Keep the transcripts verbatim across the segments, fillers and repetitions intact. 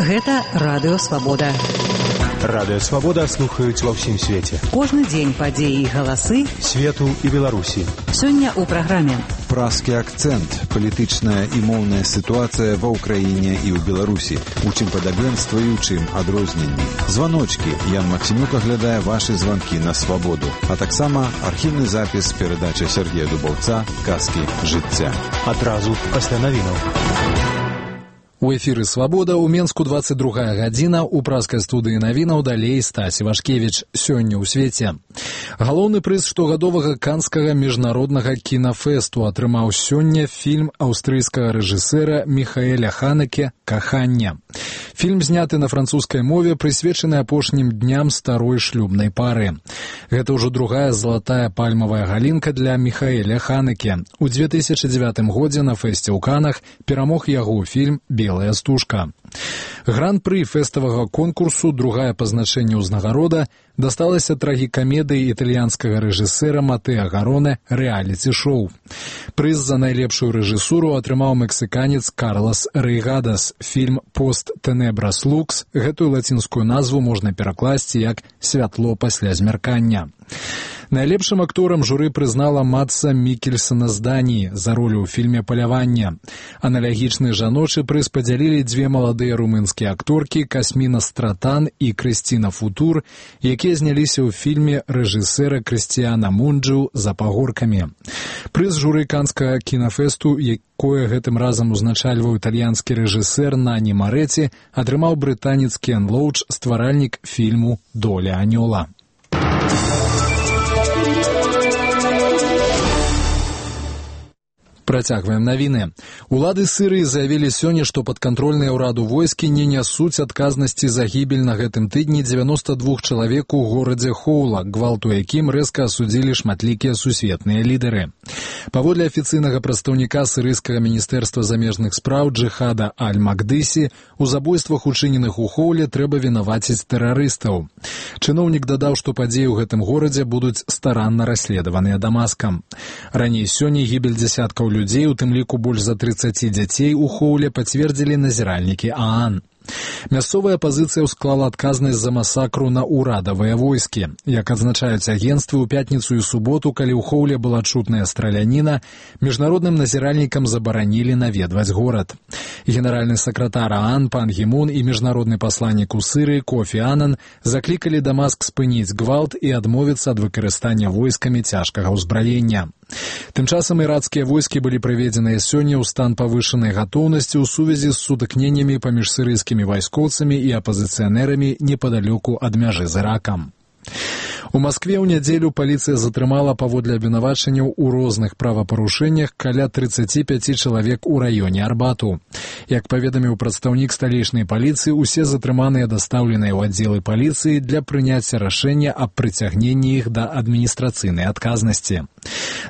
Гэта Радыё Свабода. Радыё Свабода слухаюць ва ўсім свеце. Кожны дзень падзеі і галасы свету і Беларусі. Сёння ў праграме «Празкі акцэнт. Палітычная і моўная сітуацыя ва ўкраіне і ў Беларусі. У чым падабенства і ў чым адрозненні. Званочкі. Ян Максімюк аглядае вашы званкі на Свабоду. А таксама архіўны запіс перадачы Сергея Дубаўца «Казкі жыцця». Адразу пасля навінаў. У эфіры «Свабода» у Менску двадцать другая гадзіна, у празкай студыі навінаў далей Стась Івашкевіч. Сёння ў свеце. Галоўны прыз штогадовага канскага міжнароднага кінафэсту атрымаў сёння фільм аўстрыйскага рэжысэра Міхаэля Ханеке «Каханне». Фільм зняты на французскай мове, прысвечаны апошнім дням старой шлюбнай пары. Гэта ўжо другая залатая пальмавая галінка для Міхаэля Ханеке. У две тысячы дзевятым годзе на фэсце ў Канах перамог яго фільм «Белая стужка». Гран-пры фэставага конкурсу, другая па значэнні ўзнагарода, дасталася трагікамедыі італьянскага рэжысэра Матэа Гароне «Рэаліці-шоу». Прыз за найлепшую рэжысуру атрымаў мексіканец Карлас Рейгадас. Фільм «Пост Тенебрас Лукс», гэтую лацінскую назву можна перакласці як «Святло пасля змяркання». Найлепшым акторам журы прызнала Матса Мікельсена з Даніі за ролю ў фільме «Паляванне». Аналагічны жаночы прыз падзялілі дзве маладыя румынскія акторкі Касміна Стратан і Крысціна Футур, якія зняліся ў фільме рэжысэра Крысціяна Мунджу «За пагоркамі». Прыз журы канскага кінафэсту, якое гэтым разам узначальваў італьянскі рэжысэр Нані Марэці, атрымаў брытанец Кен Лоуч, стваральнік фільму «Доля анёла». Працягваем навіны. Улады Сырыі заявілі сёння, што падкантрольныя ўраду войскі не нясуць адказнасці за гібель на гэтым тыдні дзевяноста двух чалавек у горадзе Хоула, гвалту якім рэзка асудзілі шматлікія сусветныя лідары. Паводле афіцыйнага прадстаўніка сырыйскага міністэрства замежных спраў Джихада Аль-Макдысі, у забойствах, учыненых у Хоуле, трэба вінаваціць тэрарыстаў. Чыноўнік дадаў, што падзеі ў гэтым горадзе будуць старанна расследаваныя Дамаскам. Раней сёння гібель дзясяткаў людзей, у тым ліку больш за трыццаць дзяцей у Хоуле, пацвердзілі назіральнікі ААН. Мясцовая апазіцыя ўсклала адказнасць за масакру на ўрадавыя войскі. Як адзначаюць агенцтвы, у пятніцу і суботу, калі ў Хоуле была чутная страляніна, міжнародным назіральнікам забаранілі наведваць горад. Генеральны сакратар ААН Пан Гі Мун і міжнародны пасланнік у Сырыі Кофі Анан заклікалі Дамаск спыніць гвалт і адмовіцца ад выкарыстання войскамі цяжкага ўзбраення. Тым часам ірацкія войскі былі прыведзеныя сёння ў стан павышанай гатоўнасці ў сувязі з сутыкненнямі паміж сырыйскімі вайскоўцамі і апазіцыянерамі непадалёку ад мяжы з Іракам. У Маскве ў нядзелю паліцыя затрымала паводле абвінавачанняў у розных правапарушэннях каля трыццаць пяць чалавек у раёне Арбату. Як паведаміў прадстаўнік сталічнай паліцыі, усе затрыманыя дастаўленыя ў аддзелы паліцыі для прыняцця рашэння аб прыцягненні іх да адміністрацыйнай адказнасці.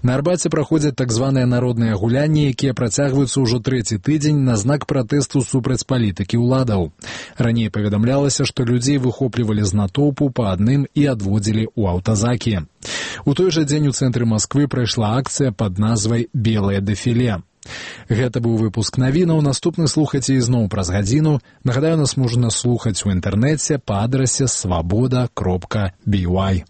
На Арбаце праходзяць так званыя народныя гулянні, якія працягваюцца ўжо трэці тыдзень на знак пратэсту супраць палітыкі ўладаў. Раней паведамлялася, што людзей выхоплівалі з натоўпу па адным і адводзілі у аўтазакі. У той жа дзень у цэнтры Масквы прайшла акцыя пад назвай «Белае дэфіле». Гэта быў выпуск навінаў. Наступны слухайце ізноў праз гадзіну. Нагадаю, нас можна слухаць у інтэрнэце па адрасе свабода кропка би вай.